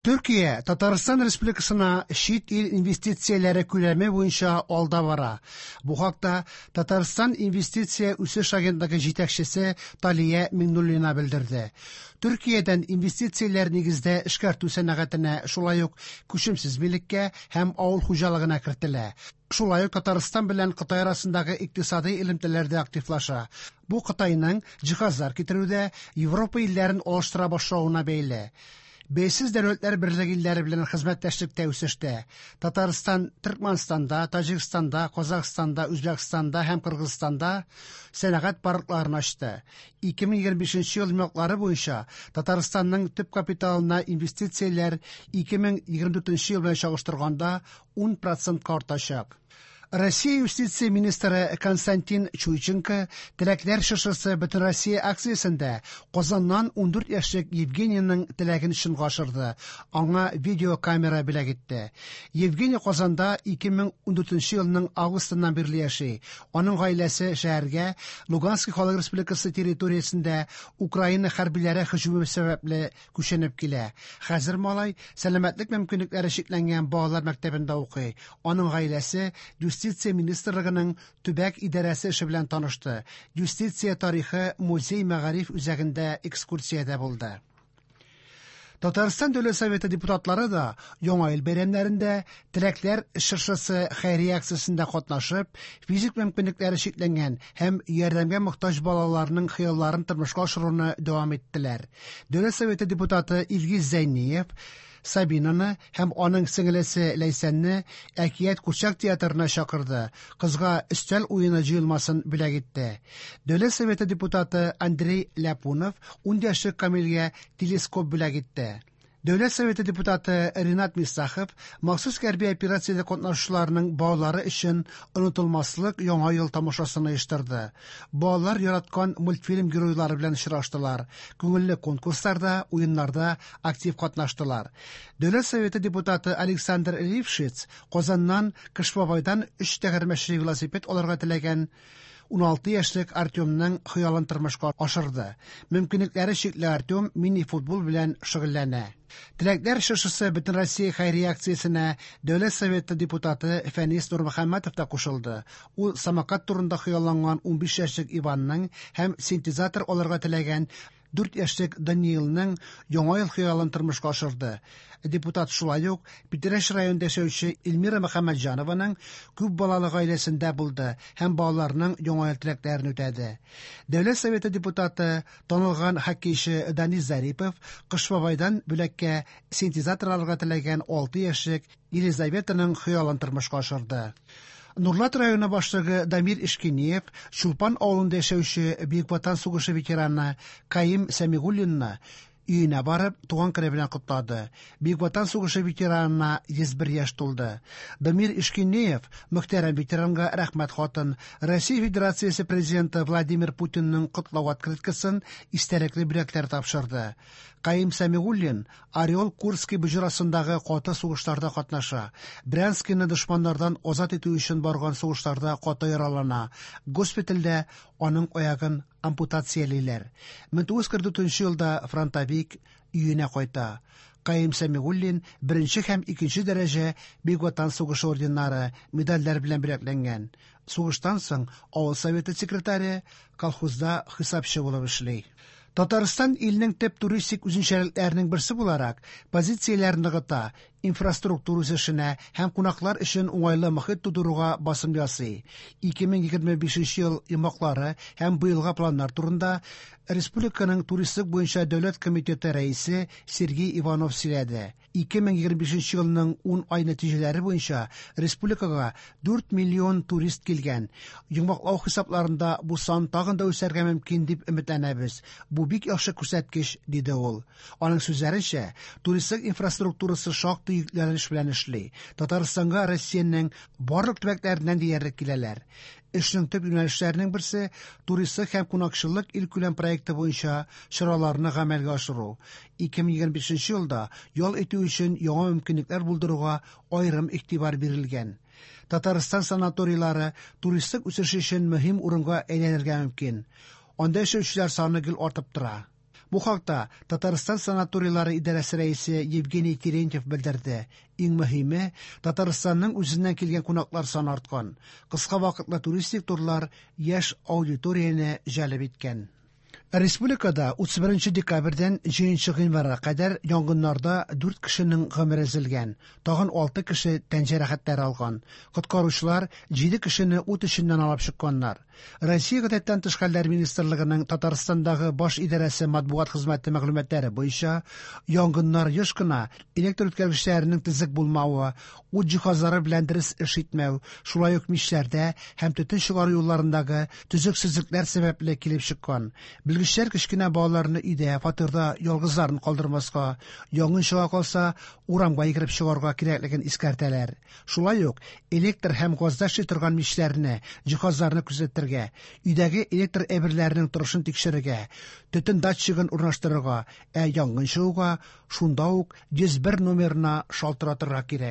Төркия Татарстан Республикасына чит ил инвестицияләре күләме буенча алда бара. Бу хакта Татарстан инвестиция үсеш агентлыгы җитәкчесе Талия Миңнуллина белдерде. Төркиядән инвестицияләр нигездә эшкәртү сәнәгатенә, шулай ук күчемсез милеккә һәм авыл хуҗалыгына кертелә. Шулай ук Татарстан белән Кытай арасындагы икътисадый элемтәләр дә активлаша. Бу Кытайның җиһазлар китерүдә Европа илләрен алыштыра башлавына бәйле. Бәйсез Дәүләтләр Берлеге илләре белән хезмәттәшлек тә үсештә. Татарстан Төркмәнстанда, Таҗикстанда, Казахстанда, Үзбәкстанда һәм Кыргызстанда сәнәгать паркларын ачты. 2025 ел йомгаклары буенча Татарстанның төп капиталына инвестицияләр 2024 ел белән чагыштырганда 10 процентка артачак. Россия юстиция министры Константин Чуйченко «Теләкләр чыршысы» Бөтенроссия акциясендә Казаннан 14 яшьлек Евгенийның теләген чынга ашырды. Аңа видеокамера бүләк итте. Евгений Казанда 2014 елның августыннан бирле яши. Аның гаиләсе шәһәргә Луганский халык республикасы территориясендә Украина хәрбиләре һөҗүме сәбәпле күченеп килә. Хәзер малай сәламәтлек мөмкинлекләре чикләнгән балалар мәктәбендә укый. Аның гаиләсе Юстиция министрлыгының төбәк идарәсе эше белән танышты. Юстиция тарихы музей мәгариф үзәгендә экскурсиядә булды. Татарстан Дәүләт Советы депутатлары да Яңа ел бәйрәмнәрендә Теләкләр чыршысы хәйрия акциясендә катнашып, физик мөмкинлекләре чикләнгән һәм ярдәмгә мохтаҗ балаларның хыялларын тормышка ашыруны дәвам иттеләр. Дәүләт Советы депутаты Илгиз Зәйниев Сабинаны һәм аның сеңелесе Ләйсәнне Әкият курчак театрына чакырды, кызга өстәл уены җыелмасын бүләк итте. Дәүләт Советы депутаты Андрей Ляпунов 10 яшьлек Камилгә телескоп бүләк итте. Дәүләт Советы депутаты Ринат Мифтахов махсус хәрби операциядә катнашучыларның балалары өчен онытылмаслык Яңа ел тамашасын оештырды. Балалар яраткан мультфильм геройлары белән очраштылар, күңелле конкурсларда, уеннарда актив катнаштылар. Дәүләт Советы депутаты Александр Лившиц Казаннан Кыш бабайдан өч тәгәрмәчле велосипед алырга теләгән 16 яшьлек Артемның хыялын тормышка ашырды. Мөмкинлекләре чикле Артем мини-футбол белән шөгыльләнә. Теләкләр чыршысы Бөтенроссия хәйрия акциясенә Дәүләт Советы депутаты Фәнис Нурмөхәммәтов та кушылды. Ул самокат турында хыялланган 15 яшьлек Иванның һәм синтезатор алырга теләгән 4 яшьлек Даниилның Яңа ел хыялын тормышка ашырды. Депутат шулай ук Питрәч районында яшәүче Эльмира Мөхәммәтҗанованың күп балалы гаиләсендә булды һәм балаларның Яңа ел теләкләрен үтәде. Дәүләт Советы депутаты, танылган хоккейчы Данис Зарипов Кыш бабайдан бүләккә синтезатор алырга теләгән 6 яшьлек Елизаветаның хыялын тормышка ашырды. Нурлат районы башлыгы Дамир Ишкинеев Чулпан авылында яшәүче Бөек Ватан сугышы ветераны Каим Сәмигуллинны өенә барып, туган көне белән котлады. Бөек Ватан сугышы ветеранына 101 яшь тулды. Дамир Ишкинеев мөхтәрәм ветеранга рәхмәт хатын, Россия Федерациясе Президенты Владимир Путинның котлау открыткасын, истәлекле бүләкләр тапшырды. Каим Сәмигуллин Орел Курский боҗрасындагы каты сугышларда катнаша. Брянскийны дошманнардан азат итү өчен барган сугышларда каты яралана. Госпитальдә аның аягын ампутациялиләр. 1944 елда фронтовик өенә кайта. Каим Сәмигуллин беренче һәм икенче дәрәҗә Бөек Ватан сугышы орденнары, медальләр белән бүләкләнгән. Сугыштан соң авыл советы секретаре, колхозда хисапчы булып эшли. Татарстан илнең төп туристик үзенчәлекләренең берсе буларак, позицияләрен ныгыта, инфраструктура үсешенә һәм кунаклар өчен уңайлы мохит тудыруга басым ясый. 2025 ел йомгаклары һәм быелга планнар турында республиканың туристлык буенча дәүләт комитеты рәисе Сергей Иванов сөйләде. 2025 елның 10 ай нәтиҗәләре буенча республикага 4 миллион турист килгән. Йомгаклау хисапларында бу сан тагын да үсәргә мөмкин дип өметләнәбез. Бу бик яхшы күрсәткеч, диде ул. Аның сүзләренчә, туристлык инфраструктурасы шактый йөкләнеш белән эшли. Татарстанга Россиянең барлык төбәкләреннән диярлек киләләр. Эшнең төп юнәлешләренең берсе туристлык һәм кунакчыллык илкүләм проекты буенча чараларны гамәлгә ашыру. 2025 елда ял итү өчен яңа мөмкинлекләр булдыруга аерым игътибар бирелгән. Татарстан санаторийлары туристлык үсеше өчен мөһим урынга әйләнергә мөмкин. Анда яшәүчеләр саны гел артып тора. Бу хакта Татарстан санаторийлары идарәсе рәисе Евгений Терентьев белдерде. Иң мөһиме, Татарстанның үзеннән килгән кунаклар саны арткан. Кыска вакытлы туристик турлар яшь аудиторияне җәлеп иткән. Республикада 31 декабрьдән 7 гыйнварга кадәр янгыннарда 4 кешенең гомере өзелгән, тагын 6 кеше тән җәрәхәтләре алган. Коткаручылар 7 кешене ут эченнән алып чыкканнар. Россия Гадәттән тыш хәлләр министрлыгының Татарстандагы баш идарәсе матбугат хезмәте мәгълүматлары буенча, янгыннар еш кына электр үткәргечләренең төзек булмавы, ут җиһазлары белән дөрес эш итмәү, шулай ук мичләрдә һәм төтен чыгару юлларындагы төзексезлекләр сәбәпле килеп чыккан. Белгечләр кечкенә балаларны өйдә, фатирда ялгызларын калдырмаска, янгын чыга калса, урамга йөгереп чыгарга кирәклеген искәртәләр. Шулай ук электр һәм газда эшли торган мичләрне, җиһазларны күзәтергә, өйдәге электр әйберләренең торышын тикшерергә, төтен датчигын урнаштырырга, ә янгын чыгуга шунда ук 101 номерына шалтыратырга кирәк.